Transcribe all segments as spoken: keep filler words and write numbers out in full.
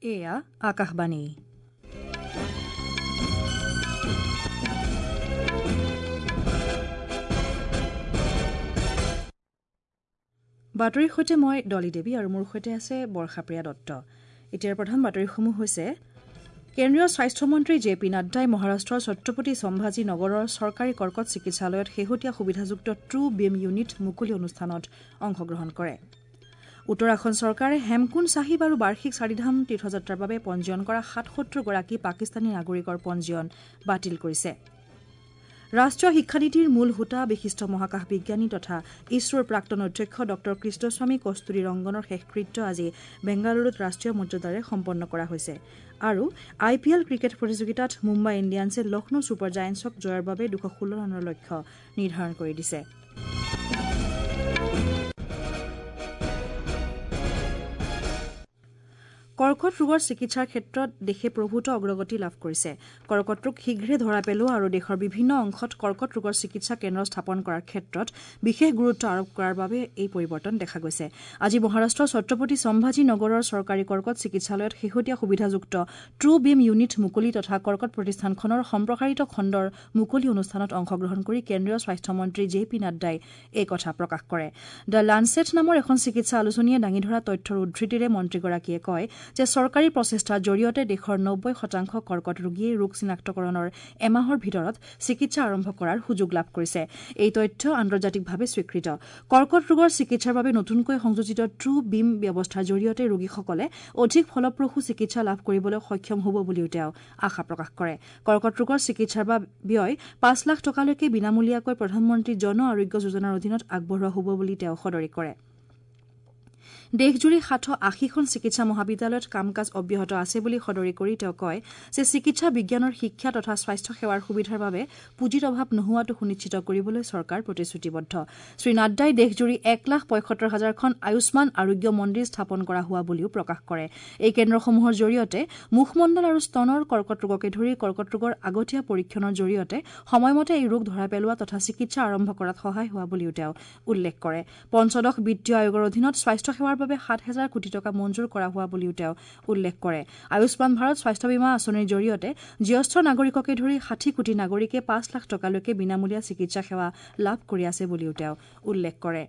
এয়া আকাশবাণী। বাতৰিৰ সৈতে মই ডলি দেৱী আৰু মোৰ সৈতে আছে বৰ্ষাপ্ৰিয়া দত্ত। এতিয়াৰ প্ৰধান বাতৰিসমূহ হৈছে কেন্দ্ৰীয় স্বাস্থ্যমন্ত্ৰী জে পি নাড্ডাই মহাৰাষ্ট্ৰৰ ছত্ৰপতি সম্ভাজী নগৰৰ চৰকাৰী কৰ্কট চিকিৎসালয়ত শেহতীয়া সুবিধাযুক্ত ট্ৰু বিম ইউনিট মুকলি অনুষ্ঠানত অংশগ্ৰহণ কৰে। উত্তৰাখণ্ড চৰকাৰে হেমকুণ্ড চাহিব আৰু বাৰ্ষিক চাৰিধাম তীৰ্থযাত্ৰাৰ বাবে পঞ্জীয়ন কৰা সাতসত্তৰগৰাকী পাকিস্তানী নাগৰিকৰ পঞ্জীয়ন বাতিল কৰিছে। ৰাষ্ট্ৰীয় শিক্ষানীতিৰ মূল হোতা বিশিষ্ট মহাকাশ বিজ্ঞানী তথা ইছৰোৰ প্ৰাক্তন অধ্যক্ষ ডঃ কৃষ্ণস্বামী কস্তুৰী ৰংগনৰ শেষকৃত্য আজি বেংগালুৰুত ৰাষ্ট্ৰীয় মৰ্যাদাৰে সম্পন্ন কৰা হৈছে। আৰু আই পি এল ক্ৰিকেট প্ৰতিযোগিতাত মুম্বাই ইণ্ডিয়ানছে লক্ষ্ণৌ ছুপাৰ জায়েণ্টছক জয়ৰ বাবে দুশ ষোল্ল ৰানৰ লক্ষ্য নিৰ্ধাৰণ কৰি দিছে। কৰ্কট ৰোগৰ চিকিৎসাৰ ক্ষেত্ৰত দেশে প্ৰভূত অগ্ৰগতি লাভ কৰিছে। কৰ্কট ৰোগ শীঘ্ৰে ধৰা পেলোৱা আৰু দেশৰ বিভিন্ন অংশত কৰ্কট ৰোগৰ চিকিৎসা কেন্দ্ৰ স্থাপন কৰাৰ ক্ষেত্ৰত বিশেষ গুৰুত্ব আৰোপ কৰাৰ বাবে এই পৰিৱৰ্তন দেখা গৈছে। আজি মহাৰাষ্ট্ৰৰ ছত্ৰপতি সম্ভাজী নগৰৰ চৰকাৰী কৰ্কট চিকিৎসালয়ত শেহতীয়া সুবিধাযুক্ত ট্ৰু বিম ইউনিট মুকলি তথা কৰ্কট প্ৰতিষ্ঠানখনৰ সম্প্ৰসাৰিত খণ্ডৰ মুকলি অনুষ্ঠানত অংশগ্ৰহণ কৰি কেন্দ্ৰীয় স্বাস্থ্যমন্ত্ৰী জে পি নাড্ডাই এই কথা প্ৰকাশ কৰে। The Lancet নামৰ এখন চিকিৎসা আলোচনীয়ে দাঙি ধৰা তথ্যৰ উদ্ধৃতিৰে মন্ত্ৰীগৰাকীয়ে কয় যে চৰকাৰী প্ৰচেষ্টাৰ জৰিয়তে দেশৰ নব্বৈ শতাংশ কৰ্কট ৰোগীয়ে ৰোগ চিনাক্তকৰণৰ এমাহৰ ভিতৰত চিকিৎসা আৰম্ভ কৰাৰ সুযোগ লাভ কৰিছে। এই তথ্য আন্তৰ্জাতিকভাৱে স্বীকৃত। কৰ্কট ৰোগৰ চিকিৎসাৰ বাবে নতুনকৈ সংযোজিত ট্ৰু বিম ব্যৱস্থাৰ জৰিয়তে ৰোগীসকলে অধিক ফলপ্ৰসূ চিকিৎসা লাভ কৰিবলৈ সক্ষম হ'ব বুলিও তেওঁ আশা প্ৰকাশ কৰে। কৰ্কট ৰোগৰ চিকিৎসাৰ ব্যয় পাঁচ লাখ টকালৈকে বিনামূলীয়াকৈ প্ৰধানমন্ত্ৰী জন আৰোগ্য যোজনাৰ অধীনত আগবঢ়োৱা হ'ব বুলি তেওঁ সদৰি কৰে। দেশজুৰি সাতশ আশীখন চিকিৎসা মহাবিদ্যালয়ত কাম কাজ অব্যাহত আছে বুলি সদৰি কৰি তেওঁ কয় যে চিকিৎসা বিজ্ঞানৰ শিক্ষা তথা স্বাস্থ্য সেৱাৰ সুবিধাৰ বাবে পুঁজিৰ অভাৱ নোহোৱাটো সুনিশ্চিত কৰিবলৈ চৰকাৰ প্ৰতিশ্ৰুতিবদ্ধ। শ্ৰীনাড্ডাই দেশজুৰি এক লাখ পঁয়সত্তৰ হাজাৰখন আয়ুষ্মান আৰোগ্য মন্দিৰ স্থাপন কৰা হোৱা বুলিও প্ৰকাশ কৰে। এই কেন্দ্ৰসমূহৰ জৰিয়তে মুখমণ্ডল আৰু স্তনৰ কৰ্কট ৰোগকে ধৰি কৰ্কট ৰোগৰ আগতীয়া পৰীক্ষণৰ জৰিয়তে সময়মতে এই ৰোগ ধৰা পেলোৱা তথা চিকিৎসা আৰম্ভ কৰাত সহায় হোৱা বুলিও তেওঁ উল্লেখ কৰে। পঞ্চদশ বিত্তীয় আয়োগৰ অধীনত স্বাস্থ্য সেৱাৰ বাবে সাত হেজাৰ কোটি টকা মঞ্জুৰ কৰা হোৱা বুলিও তেওঁ উল্লেখ কৰে। আয়ুষ্মান ভাৰত স্বাস্থ্য বীমা আঁচনিৰ জৰিয়তে জ্যেষ্ঠ নাগৰিককে ধৰি ষাঠি কোটি নাগৰিকে পাঁচ লাখ টকালৈকে বিনামূলীয়া চিকিৎসা সেৱা লাভ কৰি আছে বুলিও তেওঁ উল্লেখ কৰে।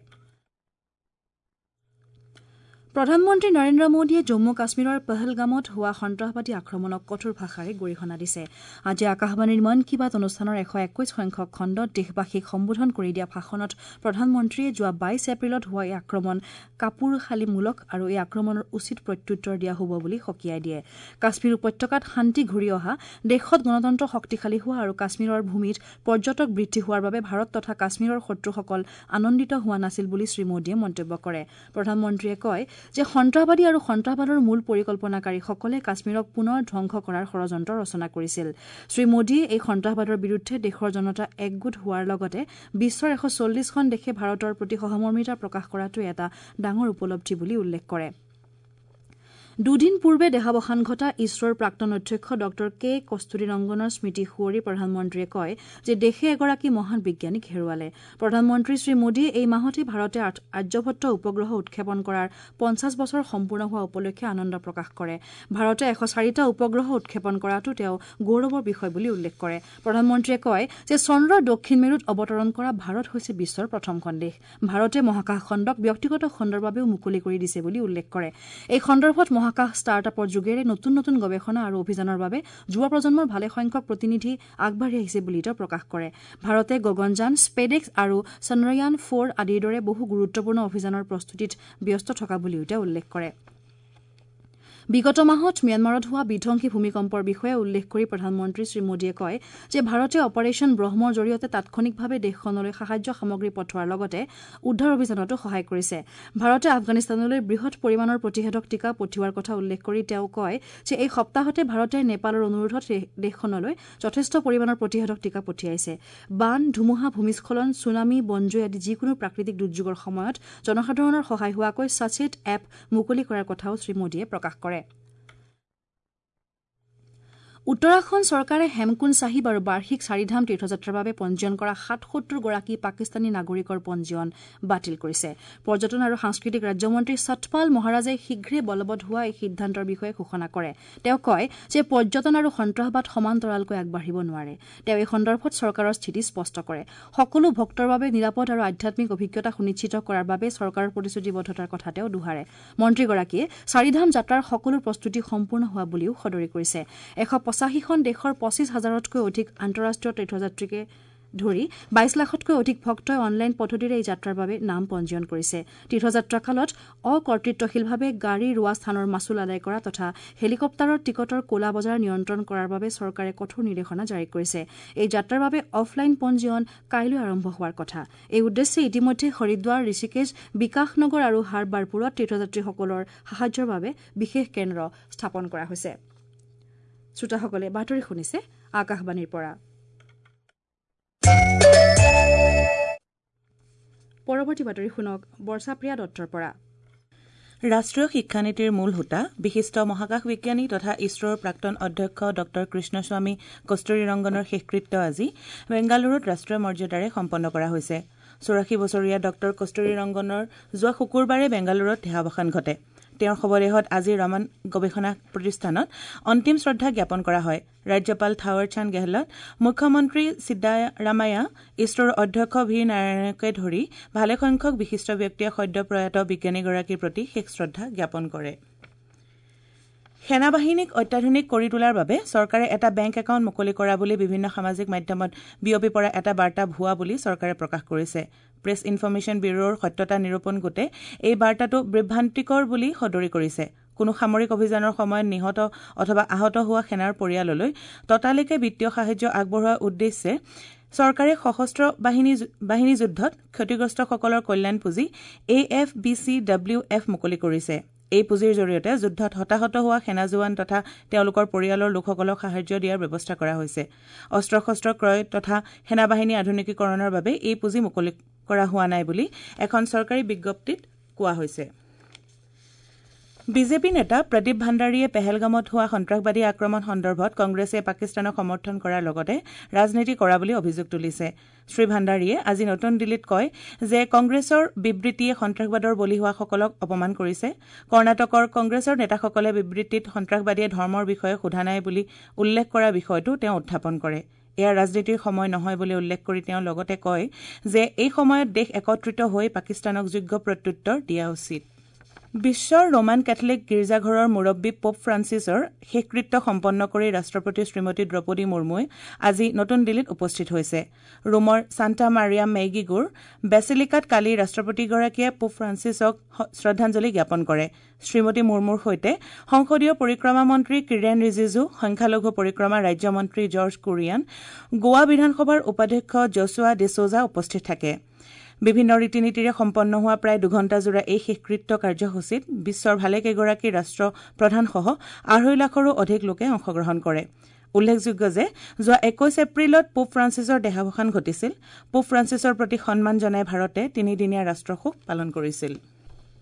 প্ৰধানমন্ত্ৰী নৰেন্দ্ৰ মোদীয়ে জম্মু কাশ্মীৰৰ পহলগামত হোৱা সন্ত্ৰাসবাদী আক্ৰমণক কঠোৰ ভাষাৰে গৰিহণা দিছে। আজি আকাশবাণীৰ মন কী বাত অনুষ্ঠানৰ এশ একৈশ সংখ্যক খণ্ডত দেশবাসীক সম্বোধন কৰি দিয়া ভাষণত প্ৰধানমন্ত্ৰীয়ে যোৱা বাইছ এপ্ৰিলত হোৱা এই আক্ৰমণ কাপুৰুষালিমূলক আৰু এই আক্ৰমণৰ উচিত প্ৰত্যুত্তৰ দিয়া হ'ব বুলি সকীয়াই দিয়ে। কাশ্মীৰ উপত্যকাত শান্তি ঘূৰি অহা, দেশত গণতন্ত্ৰ শক্তিশালী হোৱা আৰু কাশ্মীৰৰ ভূমিত পৰ্যটক বৃদ্ধি হোৱাৰ বাবে ভাৰত তথা কাশ্মীৰৰ শত্ৰুসকল আনন্দিত হোৱা নাছিল বুলি শ্ৰীমোদীয়ে মন্তব্য কৰে। প্ৰধানমন্ত্ৰীয়ে কয় যে সন্ত্ৰাসবাদী আৰু সন্ত্ৰাসবাদৰ মূল পৰিকল্পনাকাৰীসকলে কাশ্মীৰক পুনৰ ধ্বংস কৰাৰ ষড়যন্ত্ৰ ৰচনা কৰিছিল। শ্ৰীমোদীয়ে এই সন্ত্ৰাসবাদৰ বিৰুদ্ধে দেশৰ জনতা একগোট হোৱাৰ লগতে বিশ্বৰ এশ চল্লিছখন দেশে ভাৰতৰ প্ৰতি সহমৰ্মিতা প্ৰকাশ কৰাটো এটা ডাঙৰ উপলব্ধি বুলি উল্লেখ কৰে। দুদিন পূৰ্বে দেহাৱসান ঘটা ইছৰোৰ প্ৰাক্তন অধ্যক্ষ ডঃ কে কস্তুৰী ৰংগনৰ স্মৃতি সুঁৱৰি প্ৰধানমন্ত্ৰীয়ে কয় যে দেশে এগৰাকী মহান বিজ্ঞানীক হেৰুৱালে। প্ৰধানমন্ত্ৰী শ্ৰীমোদীয়ে এই মাহতে ভাৰতে আৰ্যভট্ট উপগ্ৰহ উৎক্ষেপণ কৰাৰ পঞ্চাছ বছৰ সম্পূৰ্ণ হোৱা উপলক্ষে আনন্দ প্ৰকাশ কৰে। ভাৰতে এশ চাৰিটা উপগ্ৰহ উৎক্ষেপণ কৰাটো তেওঁ গৌৰৱৰ বিষয় বুলি উল্লেখ কৰে। প্ৰধানমন্ত্ৰীয়ে কয় যে চন্দ্ৰৰ দক্ষিণ মেৰুত অৱতৰণ কৰা ভাৰত হৈছে বিশ্বৰ প্ৰথমখন দেশ। ভাৰতে মহাকাশ খণ্ডক ব্যক্তিগত খণ্ডৰ বাবেও মুকলি কৰি দিছে বুলি উল্লেখ কৰে। এই সন্দৰ্ভত মহাকাশ ষ্টাৰ্টআপৰ যোগেৰে নতুন নতুন গৱেষণা আৰু অভিযানৰ বাবে যুৱ প্ৰজন্মৰ ভালেসংখ্যক প্ৰতিনিধি আগবাঢ়ি আহিছে বুলি তেওঁ প্ৰকাশ কৰে। ভাৰতে গগনযান, স্পেডেক্স আৰু চন্দ্ৰয়ান ফ'ৰ আদিৰ দৰে বহু গুৰুত্বপূৰ্ণ অভিযানৰ প্ৰস্তুতিত ব্যস্ত থকা বুলিও তেওঁ উল্লেখ কৰে। বিগত মাহত ম্যানমাৰত হোৱা বিধ্বংসী ভূমিকম্পৰ বিষয়ে উল্লেখ কৰি প্ৰধানমন্ত্ৰী শ্ৰীমোদীয়ে কয় যে ভাৰতে অপাৰেচন ব্ৰহ্মৰ জৰিয়তে তাৎক্ষণিকভাৱে দেশখনলৈ সাহায্য সামগ্ৰী পঠোৱাৰ লগতে উদ্ধাৰ অভিযানতো সহায় কৰিছে। ভাৰতে আফগানিস্তানলৈ বৃহৎ পৰিমাণৰ প্ৰতিষেধক টীকা পঠিওৱাৰ কথা উল্লেখ কৰি তেওঁ কয় যে এই সপ্তাহতে ভাৰতে নেপালৰ অনুৰোধত দেশখনলৈ যথেষ্ট পৰিমাণৰ প্ৰতিষেধক টীকা পঠিয়াইছে। বান, ধুমুহা, ভূমিস্খলন, ছুনামি, বনজুই আদি যিকোনো প্ৰাকৃতিক দুৰ্যোগৰ সময়ত জনসাধাৰণৰ সহায় হোৱাকৈ সচেত এপ মুকলি কৰাৰ কথাও শ্ৰীমোদীয়ে প্ৰকাশ কৰে। উত্তৰাখণ্ড চৰকাৰে হেমকুণ্ড চাহিব আৰু বাৰ্ষিক চাৰিধাম তীৰ্থযাত্ৰাৰ বাবে পঞ্জীয়ন কৰা সাতসত্তৰগৰাকী পাকিস্তানী নাগৰিকৰ পঞ্জীয়ন বাতিল কৰিছে। পৰ্যটন আৰু সাংস্কৃতিক ৰাজ্যমন্ত্ৰী সতপাল মহাৰাজে শীঘ্ৰে বলবৎ হোৱা এই সিদ্ধান্তৰ বিষয়ে ঘোষণা কৰে। তেওঁ কয় যে পৰ্যটন আৰু সন্ত্ৰাসবাদ সমান্তৰালকৈ আগবাঢ়িব নোৱাৰে। তেওঁ এই সন্দৰ্ভত চৰকাৰৰ স্থিতি স্পষ্ট কৰে। সকলো ভক্তৰ বাবে নিৰাপদ আৰু আধ্যাত্মিক অভিজ্ঞতা সুনিশ্চিত কৰাৰ বাবে চৰকাৰৰ প্ৰতিশ্ৰুতিবদ্ধতাৰ কথা তেওঁ দোহাৰে। মন্ত্ৰীগৰাকীয়ে চাৰিধাম যাত্ৰাৰ সকলো প্ৰস্তুতি সম্পূৰ্ণ হোৱা বুলিও সদৰি কৰিছে। এশ পঁচাশীখন দেশৰ পঁচিছ হাজাৰতকৈ অধিক আন্তঃৰাষ্ট্ৰীয় তীৰ্থযাত্ৰীকে ধৰি বাইছ লাখতকৈ অধিক ভক্তই অনলাইন পদ্ধতিৰে এই যাত্ৰাৰ বাবে নাম পঞ্জীয়ন কৰিছে। তীৰ্থযাত্ৰাকালত অকৰ্তৃত্বশীলভাৱে গাড়ী ৰোৱা স্থানৰ মাচুল আদায় কৰা তথা হেলিকপ্টাৰৰ টিকটৰ ক'লা বজাৰ নিয়ন্ত্ৰণ কৰাৰ বাবে চৰকাৰে কঠোৰ নিৰ্দেশনা জাৰি কৰিছে। এই যাত্ৰাৰ বাবে অফলাইন পঞ্জীয়ন কাইলৈ আৰম্ভ হোৱাৰ কথা। এই উদ্দেশ্যে ইতিমধ্যে হৰিদ্বাৰ, ঋষিকেশ, বিকাশনগৰ আৰু হাৰবাৰপুৰত তীৰ্থযাত্ৰীসকলৰ সাহায্যৰ বাবে বিশেষ কেন্দ্ৰ স্থাপন কৰা হৈছে। শ্ৰোতাসকলে বাতৰি শুনিছে আকাশবাণীৰ পৰা। পৰৱৰ্তী বাতৰি শুনক বৰ্ষাপ্ৰিয়া দত্তৰ পৰা। ৰাষ্ট্ৰীয় শিক্ষানীতিৰ মূল হোতা বিশিষ্ট মহাকাশ বিজ্ঞানী তথা ইছৰোৰ প্ৰাক্তন অধ্যক্ষ ডঃ কৃষ্ণস্বামী কস্তুৰী ৰংগনৰ শেষকৃত্য আজি বেংগালুৰুত ৰাষ্ট্ৰীয় মৰ্যাদাৰে সম্পন্ন কৰা হৈছে। চৌৰাশী বছৰীয়া ডঃ কস্তুৰী ৰংগনৰ যোৱা শুকুৰবাৰে বেংগালুৰুত দেহাৱসান ঘটে। তেওঁৰ শৱদেহত আজি ৰমন গৱেষণা প্ৰতিষ্ঠানত অন্তিম শ্ৰদ্ধা জ্ঞাপন কৰা হয়। ৰাজ্যপাল থাৱাৰ চান্দ গেহলট, মুখ্যমন্ত্ৰী সিদ্দাৰামায়া, ইছৰোৰ অধ্যক্ষ ভি নাৰায়ণকে ধৰি ভালেসংখ্যক বিশিষ্ট ব্যক্তিয়ে সদ্য প্ৰয়াত বিজ্ঞানীগৰাকীৰ প্ৰতি শেষ শ্ৰদ্ধা জ্ঞাপন কৰে। সেনাবাহিনীক অত্যাধুনিক কৰি তোলাৰ বাবে চৰকাৰে এটা বেংক একাউণ্ট মুকলি কৰা বুলি বিভিন্ন সামাজিক মাধ্যমত বিয়পি পৰা এটা বাৰ্তা ভুৱা বুলি চৰকাৰে প্ৰকাশ কৰিছে। প্ৰেছ ইনফৰমেশ্যন ব্যুৰোৰ সত্যতা নিৰূপণ গোটে এই বাৰ্তাটো বিভ্ৰান্তিকৰ বুলি সদৰি কৰিছে। কোনো সামৰিক অভিযানৰ সময়ত নিহত অথবা আহত হোৱা সেনাৰ পৰিয়াললৈ ততালিকে বিত্তীয় সাহায্য আগবঢ়োৱাৰ উদ্দেশ্যে চৰকাৰে সশস্ত্ৰ বাহিনী বাহিনী যুদ্ধত ক্ষতিগ্ৰস্তসকলৰ কল্যাণ পুঁজি A F B C W F মুকলি কৰিছে। এই পুঁজিৰ জৰিয়তে যুদ্ধত হতাহত হোৱা সেনা জোৱান তথা তেওঁলোকৰ পৰিয়ালৰ লোকসকলক সাহায্য দিয়াৰ ব্যৱস্থা কৰা হৈছে। অস্ত্ৰ শস্ত্ৰ ক্ৰয় তথা সেনাবাহিনী আধুনিকীকৰণৰ বাবে এই পুঁজি মুকলি কৰা হোৱা নাই বুলি এখন চৰকাৰী বিজ্ঞপ্তিত কোৱা হৈছে। বিজেপি নেতা প্ৰদীপ ভাণ্ডাৰীয়ে পেহেলগামত হোৱা সন্ত্ৰাসবাদী আক্ৰমণ সন্দৰ্ভত কংগ্ৰেছে পাকিস্তানক সমৰ্থন কৰাৰ লগতে ৰাজনীতি কৰা বুলি অভিযোগ তুলিছে। শ্ৰী ভাণ্ডাৰীয়ে আজি নতুন দিল্লীত কয় যে কংগ্ৰেছৰ বিবৃতিয়ে সন্ত্ৰাসবাদৰ বলি হোৱাসকলক অপমান কৰিছে। কৰ্ণাটকৰ কংগ্ৰেছৰ নেতাসকলে বিবৃতিত সন্ত্ৰাসবাদীয়ে ধৰ্মৰ বিষয়ে সোধা নাই বুলি উল্লেখ কৰা বিষয়টো তেওঁ উত্থাপন কৰে। এয়া ৰাজনীতিৰ সময় নহয় বুলি উল্লেখ কৰি তেওঁ লগতে কয় যে এই সময়ত দেশ একত্ৰিত হৈ পাকিস্তানক যোগ্য প্ৰত্যুত্তৰ দিয়া উচিত। বিশ্বৰ ৰোমান কেথলিক গীৰ্জাঘৰৰ মুৰব্বী পোপ ফ্ৰান্সিছৰ শেষকৃত্য সম্পন্ন কৰি ৰাষ্ট্ৰপতি শ্ৰীমতী দ্ৰৌপদী মুৰ্মুৱে আজি নতুন দিল্লীত উপস্থিত হৈছে। ৰোমৰ ছান্টা মাৰিয়া মেইগিগোৰ বেচিলিকাত কালি ৰাষ্ট্ৰপতিগৰাকীয়ে পোপ ফ্ৰান্সিছক শ্ৰদ্ধাঞ্জলি জ্ঞাপন কৰে। শ্ৰীমতী মুৰ্মুৰ সৈতে সংসদীয় পৰিক্ৰমা মন্ত্ৰী কিৰেণ ৰিজিজু, সংখ্যালঘু পৰিক্ৰমা ৰাজ্যমন্ত্ৰী জৰ্জ কুৰিয়ান, গোৱা বিধানসভাৰ উপাধ্যক্ষ জছুৱা ডিছৌজা উপস্থিত থাকে। বিভিন্ন ৰীতি নীতিৰে সম্পন্ন হোৱা প্ৰায় দুঘণ্টাজোৰা এই শেষকৃত্য কাৰ্যসূচীত বিশ্বৰ ভালেকেইগৰাকী ৰাষ্ট্ৰ প্ৰধানসহ আঢ়ৈ লাখৰো অধিক লোকে অংশগ্ৰহণ কৰে। উল্লেখযোগ্য যে যোৱা একৈশ এপ্ৰিলত পোপ ফ্ৰান্সিছৰ দেহাৱসান ঘটিছিল। পোপ ফ্ৰান্সিছৰ প্ৰতি সন্মান জনাই ভাৰতে তিনিদিনীয়া ৰাষ্ট্ৰশোক পালন কৰিছিল।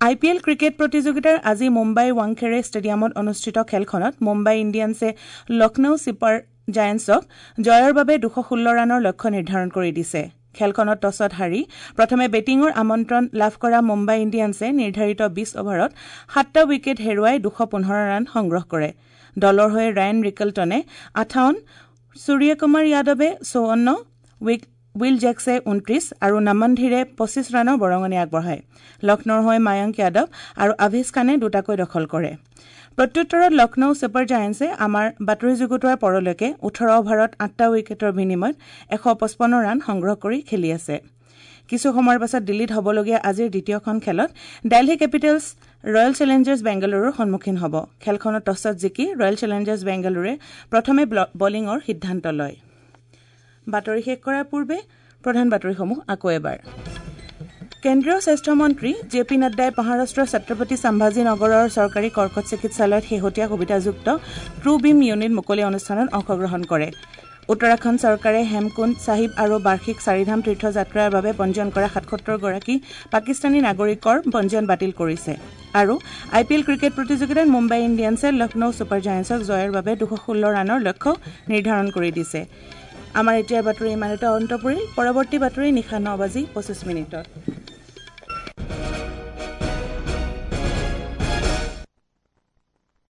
আই পি এল ক্ৰিকেট প্ৰতিযোগিতাৰ আজি মুম্বাইৰ ৱাংখেড়ে ষ্টেডিয়ামত অনুষ্ঠিত খেলখনত মুম্বাই ইণ্ডিয়ানছে লক্ষ্ণৌ ছুপাৰ জায়েণ্টছক জয়ৰ বাবে দুশ ষোল্ল ৰানৰ লক্ষ্য নিৰ্ধাৰণ কৰি দিছে। খেলখনত টছত হাৰি প্ৰথমে বেটিঙৰ আমন্ত্ৰণ লাভ কৰা মুম্বাই ইণ্ডিয়ানছে নিৰ্ধাৰিত বিছ অভাৰত সাতটা উইকেট হেৰুৱাই দুশ পোন্ধৰ ৰান সংগ্ৰহ কৰে। দলৰ হৈ ৰায়ন ৰিকেলটনে আঠাৱন্ন, সূৰ্যকুমাৰ যাদৱে চৌৱন্ন, will জেক্সে ঊনত্ৰিছ আৰু নমন ধীৰে পঁচিছ ৰানৰ বৰঙণি আগবঢ়ায়। লক্ষ্ণৌৰ হৈ মায়ংক যাদৱ আৰু আভেশ খানে দুটাকৈ দখল কৰে। প্ৰত্যুত্তৰত লক্ষ্ণৌ ছুপাৰ জায়েণ্টছে আমাৰ বাতৰি যুগুতোৱাৰ পৰলৈকে ওঠৰ অভাৰত আঠটা উইকেটৰ বিনিময়ত এশ পঁচপন্ন ৰান সংগ্ৰহ কৰি খেলি আছে। কিছু সময়ৰ পাছত দিল্লীত হ'বলগীয়া আজিৰ দ্বিতীয়খন খেলত দিল্লী কেপিটেলছ ৰয়েল চেলেঞ্জাৰ্ছ বেংগালুৰুৰ সন্মুখীন হ'ব। খেলখনত টছত জিকি ৰয়েল চেলেঞ্জাৰ্ছ বেংগালুৰুৱে প্ৰথমে বলিঙৰ সিদ্ধান্ত লয়। বাতৰি শেষ কৰাৰ পূৰ্বে প্ৰধান বাতৰিসমূহ আকৌ এবাৰ। কেন্দ্ৰীয় স্বাস্থ্যমন্ত্ৰী জে পি নাড্ডাই মহাৰাষ্ট্ৰৰ ছত্ৰপতি সম্ভাজী নগৰৰ চৰকাৰী কৰ্কট চিকিৎসালয়ত শেহতীয়া সুবিধাযুক্ত ট্ৰু বিম ইউনিট মুকলি অনুষ্ঠানত অংশগ্ৰহণ কৰে। উত্তৰাখণ্ড চৰকাৰে হেমকুণ্ড চাহিব আৰু বাৰ্ষিক চাৰিধাম তীৰ্থযাত্ৰাৰ বাবে পঞ্জীয়ন কৰা সাতসত্তৰগৰাকী পাকিস্তানী নাগৰিকৰ পঞ্জীয়ন বাতিল কৰিছে। আৰু আই পি এল ক্ৰিকেট প্ৰতিযোগিতাত মুম্বাই ইণ্ডিয়ানছে লক্ষ্ণৌ ছুপাৰ জায়েণ্টছক জয়ৰ বাবে দুশ ষোল্ল ৰানৰ লক্ষ্য নিৰ্ধাৰণ কৰি দিছে। আমাৰ এতিয়াৰ বাতৰি ইমানতে অন্ত পৰিল। পৰৱৰ্তী বাতৰি নিশা ন বাজি পঁচিছ মিনিটত।